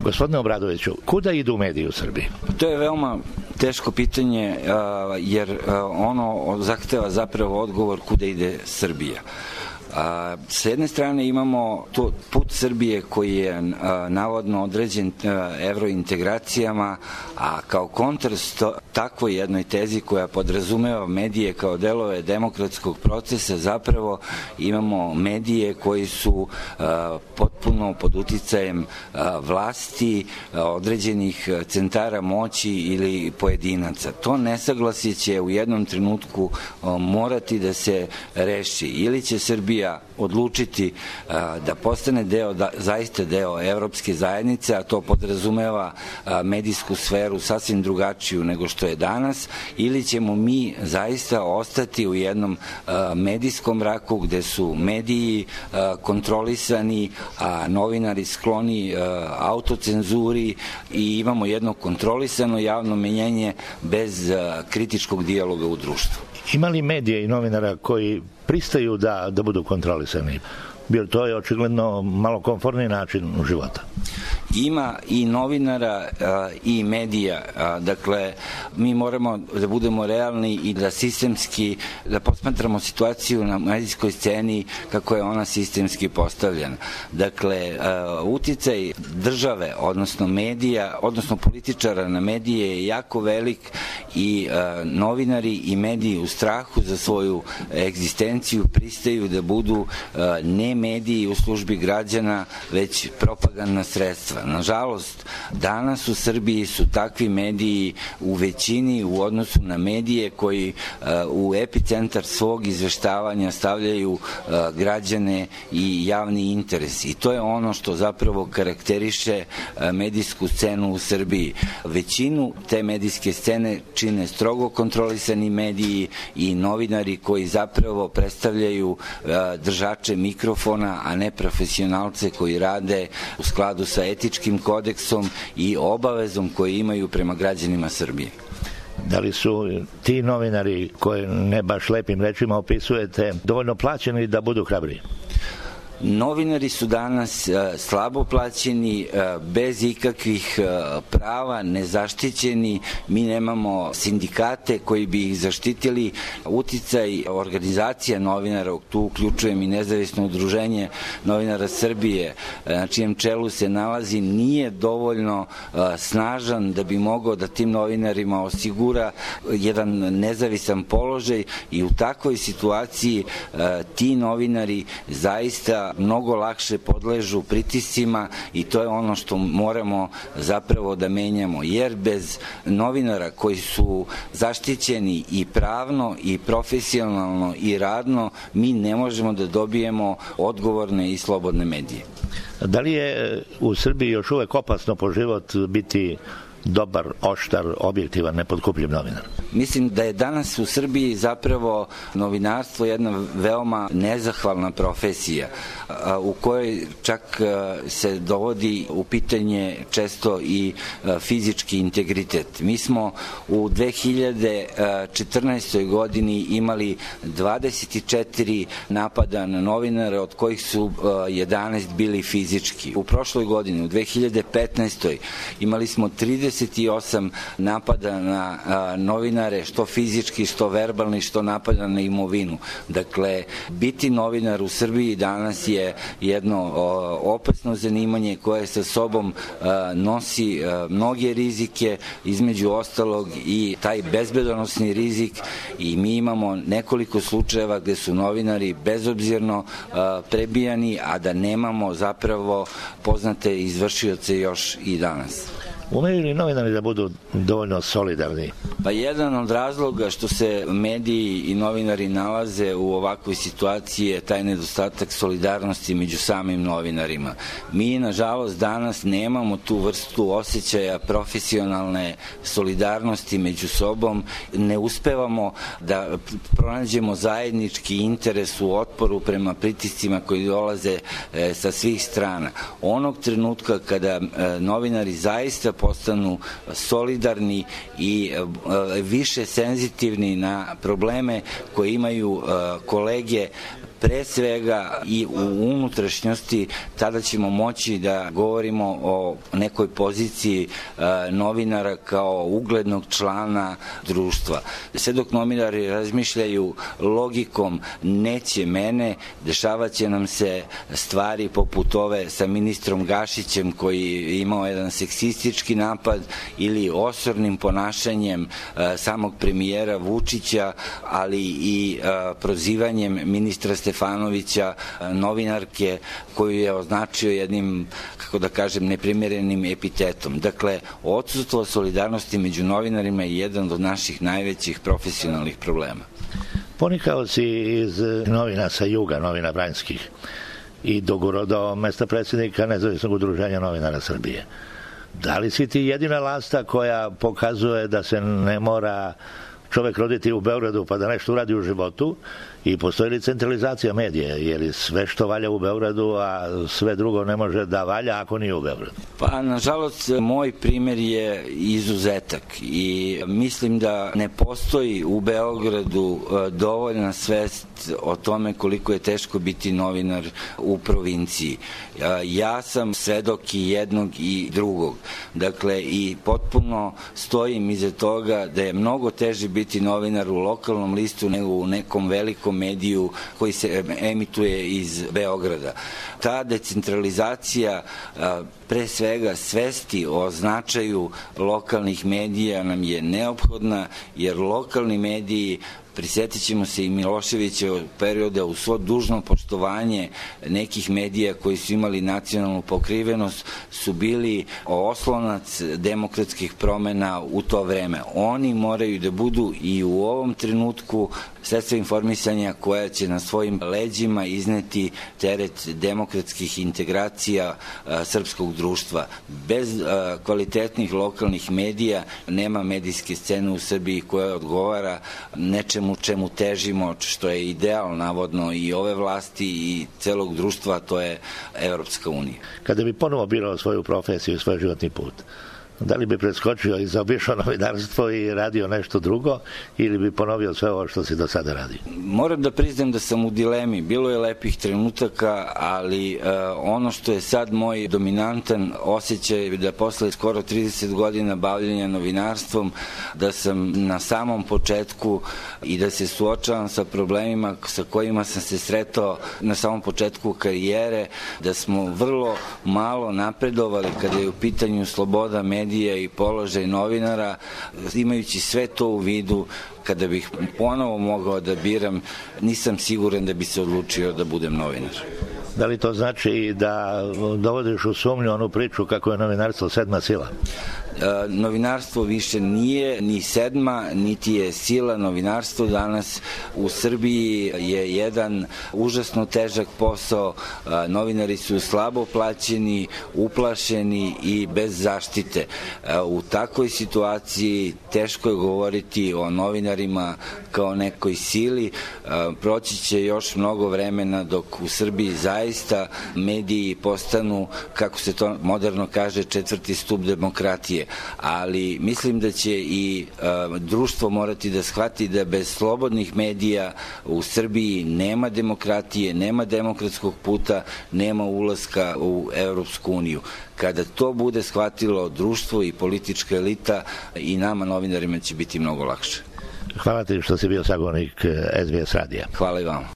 Gospodine Obradoviću, kuda idu mediji u Srbiji? To je veoma teško pitanje, jer ono zahteva zapravo odgovor kuda ide Srbija. S jedne strane imamo put Srbije koji je navodno određen evrointegracijama, a kao kontrast takvoj jednoj tezi koja podrazumeva medije kao delove demokratskog procesa, zapravo imamo medije koji su potpuno pod uticajem vlasti, određenih centara moći ili pojedinaca. To nesaglasje će u jednom trenutku morati da se reši. Ili će Srbija odlučiti da postane zaista deo evropske zajednice, a to podrazumeva medijsku sferu sasvim drugačiju nego što je danas, ili ćemo mi zaista ostati u jednom medijskom mraku gde su mediji kontrolisani, a novinari skloni autocenzuri i imamo jedno kontrolisano javno menjenje bez kritičkog dijaloga u društvu. Ima li medije i novinara koji pristaju da budu kontrolisani? Jer to je očigledno malo komforniji način života. Ima i novinara i medija. Dakle, mi moramo da budemo realni i da sistemski, da posmatramo situaciju na medijskoj sceni kako je ona sistemski postavljena. Dakle, uticaj države, odnosno medija, odnosno političara na medije je jako velik i novinari i mediji u strahu za svoju egzistenciju pristaju da budu ne mediji u službi građana, već propagandna sredstva. Nažalost, danas u Srbiji su takvi mediji u većini u odnosu na medije koji u epicentar svog izveštavanja stavljaju građane i javni interes. I to je ono što zapravo karakteriše medijsku scenu u Srbiji. Većinu te medijske scene čine strogo kontrolisani mediji i novinari koji zapravo predstavljaju držače mikrofona, a ne profesionalce koji rade u skladu sa etičkim kodeksom i obavezom koje imaju prema građanima Srbije. Da li su ti novinari koje ne baš lepim rečima opisujete dovoljno plaćeni da budu hrabri? Novinari su danas slabo plaćeni, bez ikakvih prava, nezaštićeni. Mi nemamo sindikate koji bi ih zaštitili. Uticaj organizacija novinara, tu uključujem i nezavisno udruženje novinara Srbije, na čijem čelu se nalazi, nije dovoljno snažan da bi mogao da tim novinarima osigura jedan nezavisan položaj i u takvoj situaciji ti novinari zaista mnogo lakše podležu pritiscima i to je ono što moramo zapravo da menjamo, jer bez novinara koji su zaštićeni i pravno i profesionalno i radno mi ne možemo da dobijemo odgovorne i slobodne medije. Da li je u Srbiji još uvek opasno po život biti dobar, oštar, objektivan, nepotkupljiv novinar? Mislim da je danas u Srbiji zapravo novinarstvo jedna veoma nezahvalna profesija u kojoj čak se dovodi u pitanje često i fizički integritet. Mi smo u 2014. godini imali 24 napada na novinare, od kojih su 11 bili fizički. U prošloj godini, u 2015. imali smo 38 napada na novinare, što fizički, što verbalni, što napada na imovinu. Dakle, biti novinar u Srbiji danas je jedno opasno zanimanje koje sa sobom nosi mnoge rizike, između ostalog i taj bezbedonosni rizik, i mi imamo nekoliko slučajeva gde su novinari bezobzirno prebijani, a da nemamo zapravo poznate izvršioce još i danas. Umeju li novinari da budu dovoljno solidarni? Pa jedan od razloga što se mediji i novinari nalaze u ovakvoj situaciji je taj nedostatak solidarnosti među samim novinarima. Mi, nažalost, danas nemamo tu vrstu osjećaja profesionalne solidarnosti među sobom, ne uspevamo da pronađemo zajednički interes u otporu prema pritiscima koji dolaze sa svih strana. Onog trenutka kada novinari zaista postanu solidarni i više senzitivni na probleme koje imaju kolege pre svega i u unutrašnjosti, tada ćemo moći da govorimo o nekoj poziciji novinara kao uglednog člana društva. Sve dok novinari razmišljaju logikom neće mene, dešavaće nam se stvari poput ove sa ministrom Gašićem koji je imao jedan seksistički napad ili osornim ponašanjem samog premijera Vučića, ali i prozivanjem ministra Stefanovića, novinarke koju je označio jednim, kako da kažem, neprimerenim epitetom. Dakle, odsustvo solidarnosti među novinarima je jedan od naših najvećih profesionalnih problema. Ponikao si iz novina sa juga, novina Vranjskih, i dogurao do mesta predsjednika Nezavisnog udruženja novinara Srbije. Da li si ti jedina lasta koja pokazuje da se ne mora čovek roditi u Beogradu pa da nešto uradi u životu, i postoji li centralizacija medija, jer sve što valja u Beogradu, a sve drugo ne može da valja ako nije u Beogradu? Pa, nažalost, moj primer je izuzetak i mislim da ne postoji u Beogradu dovoljna svest o tome koliko je teško biti novinar u provinciji. Ja sam svedok i jednog i drugog. Dakle, i potpuno stojim iza toga da je mnogo teže biti novinar u lokalnom listu nego u nekom velikom mediju koji se emituje iz Beograda. Ta decentralizacija, pre svega svesti o značaju lokalnih medija, nam je neophodna, jer lokalni mediji, prisjetit ćemo se i Miloševićevog perioda, u svo dužno poštovanje nekih medija koji su imali nacionalnu pokrivenost, su bili oslonac demokratskih promena u to vreme. Oni moraju da budu i u ovom trenutku sredstva informisanja koja će na svojim leđima izneti teret demokratskih integracija srpskog društva. Bez kvalitetnih lokalnih medija nema medijske scene u Srbiji koja odgovara nečemu čemu težimo, što je ideal navodno i ove vlasti i celog društva, a to je Evropska unija. Kada bi ponovo birao svoju profesiju, svoj životni put, da li bi preskočio i zaobišao novinarstvo i radio nešto drugo, ili bi ponovio sve ovo što si do sada radio? Moram da priznam da sam u dilemi. Bilo je lepih trenutaka, ali ono što je sad moj dominantan osjećaj da posle skoro 30 godina bavljenja novinarstvom, da sam na samom početku i da se suočavam sa problemima sa kojima sam se sretao na samom početku karijere, da smo vrlo malo napredovali kada je u pitanju sloboda medija i položaj novinara. Imajući sve to u vidu, kada bih ponovo mogao da biram, nisam siguran da bi se odlučio da budem novinar. Da li to znači da dovodiš u sumnju onu priču kako je novinarstvo sedma sila? Novinarstvo više nije ni sedma, niti je sila. Novinarstvo danas u Srbiji je jedan užasno težak posao. Novinari su slabo plaćeni, uplašeni i bez zaštite. U takvoj situaciji teško je govoriti o novinarima kao nekoj sili. Proći će još mnogo vremena dok u Srbiji zaista mediji postanu, kako se to moderno kaže, četvrti stub demokratije. Ali mislim da će i društvo morati da shvati da bez slobodnih medija u Srbiji nema demokratije, nema demokratskog puta, nema ulaska u Evropsku uniju. Kada to bude shvatilo društvo i politička elita, i nama novinarima će biti mnogo lakše. Hvala ti što si bio sagovornik SBS radija. Hvala i vam.